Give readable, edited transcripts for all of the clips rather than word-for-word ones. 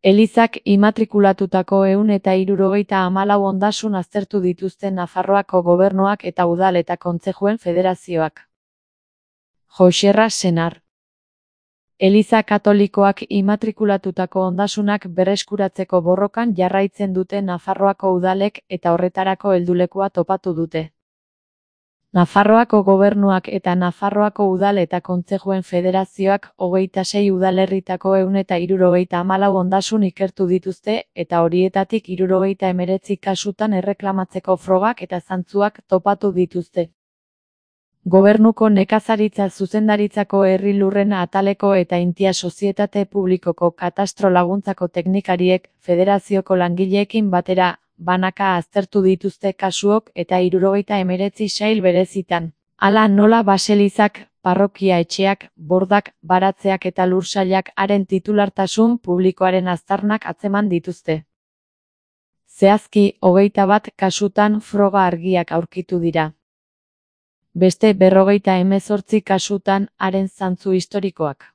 Elizak immatrikulatutako 174 ondasun aztertu dituzte Nafarroako gobernuak eta udal eta kontzejuen federazioak. Joxerra Senar. Eliza Katolikoak immatrikulatutako ondasunak berreskuratzeko borrokan jarraitzen dute Nafarroako udalek eta horretarako heldulekua topatu dute. Nafarroako gobernuak eta Nafarroako udal eta kontzejuen federazioak 26 udalerritako 174 ondasun ikertu dituzte eta horietatik 79 kasutan erreklamatzeko frogak eta zantzuak topatu dituzte. Gobernuko nekazaritza zuzendaritzako herri lurren ataleko eta Intia Sozietate Publikoko katastro laguntzako teknikariek federazioko langileekin batera banaka aztertu dituzte kasuok eta 79 sail berezitan. Hala nola baselizak, parrokia etxeak, bordak, baratzeak eta lursailak haren titulartasun publikoaren aztarnak atzeman dituzte. Zehazki, 21 kasutan froga argiak aurkitu dira. Beste 58 kasutan haren zantzu historikoak.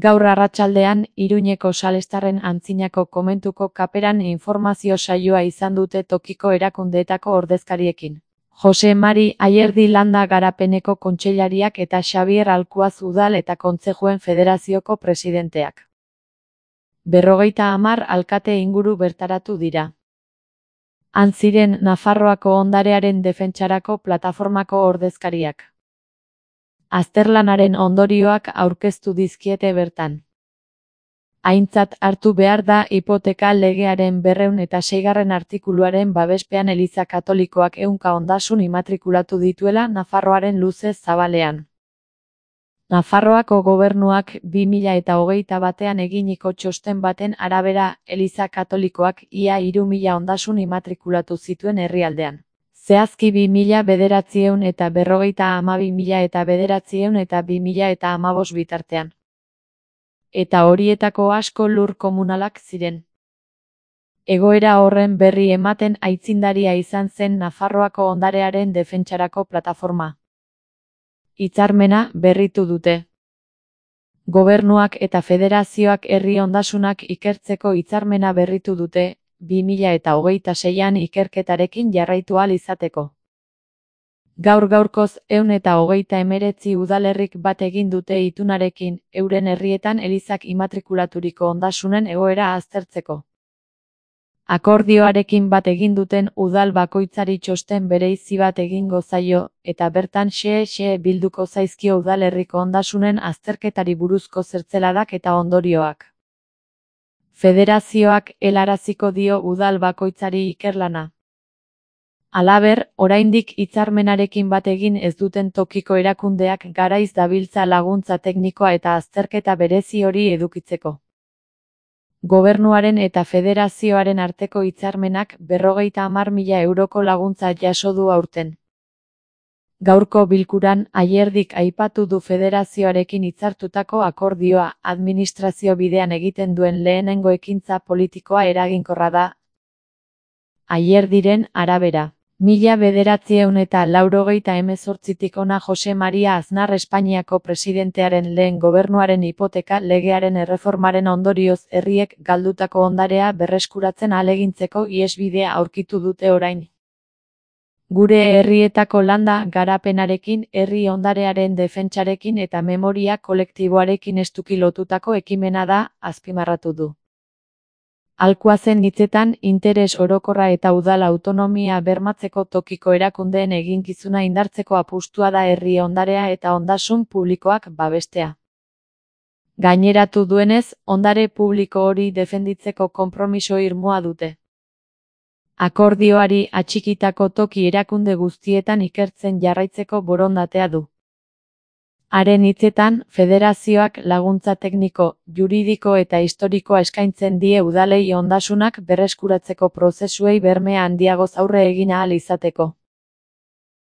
Gaur arratsaldean, Iruñeko Salestarren antzinako komentuko kaperan informazio saioa izan dute tokiko erakundeetako ordezkariekin. Jose Mari Ayerdi Landa Garapeneko kontseilariak eta Xabier Alkuaz udal eta kontzejuen federazioko presidenteak. 50 alkate inguru bertaratu dira. Han ziren Nafarroako ondarearen defentsarako plataformako ordezkariak. Azterlanaren ondorioak aurkeztu dizkiete bertan. Aintzat hartu behar da hipoteka legearen 206. artikuluaren babespean Eliza Katolikoak 100 ondasun immatrikulatu dituela Nafarroaren luze zabalean. Nafarroako gobernuak 2021 eginiko txosten baten arabera Eliza Katolikoak ia 3000 ondasun immatrikulatu zituen herrialdean. Zehazki 2009 eta 52.000 eta 2009 eta 2015 bitartean. Eta horietako asko lur komunalak ziren. Egoera horren berri ematen aitzindaria izan zen Nafarroako ondarearen defentsarako plataforma. Hitzarmena berritu dute. Gobernuak eta federazioak herri ondasunak ikertzeko hitzarmena berritu dute, 2026an ikerketarekin jarraitu ahal izateko. Gaur-gaurkoz 129 udalerrik bat egin dute itunarekin, euren herrietan elizak immatrikulaturiko ondasunen egoera aztertzeko. Akordioarekin bat egin duten udal bakoitzari txosten bereizi bat egingo zaio, eta bertan xe bilduko zaizkio udalerriko ondasunen azterketari buruzko zertzeladak eta ondorioak. Federazioak helaraziko dio udal bakoitzari ikerlana. Halaber, oraindik hitzarmenarekin bat egin ez duten tokiko erakundeak garaiz dabiltza laguntza teknikoa eta azterketa berezi hori edukitzeko. Gobernuaren eta federazioaren arteko hitzarmenak 50.000 euroko laguntza jaso du aurten. Gaurko bilkuran Ayerdik aipatu du federazioarekin hitzartutako akordioa administrazio bidean egiten duen lehenengo ekintza politikoa eraginkorra da. Ayerdiren arabera. 1998tik hona Jose Maria Aznar Espainiako presidentearen lehen gobernuaren hipoteka legearen erreformaren ondorioz herriek galdutako ondarea berreskuratzen ahalegintzeko ihesbidea aurkitu dute orain. Gure herrietako landa garapenarekin, herri ondarearen defentsarekin eta memoria kolektiboarekin estuki lotutako ekimena da, azpimarratu du. Alkuazen hitzetan, interes orokorra eta udal autonomia bermatzeko tokiko erakundeen eginkizuna indartzeko apustua da herri ondarea eta ondasun publikoak babestea. Gaineratu duenez, ondare publiko hori defenditzeko konpromiso irmoa dute. Akordioari atxikitako toki erakunde guztietan ikertzen jarraitzeko borondatea du. Haren hitzetan, federazioak laguntza tekniko, juridiko eta historikoa eskaintzen die udalei ondasunak berreskuratzeko prozesuei berme handiagoz aurre egin ahal izateko.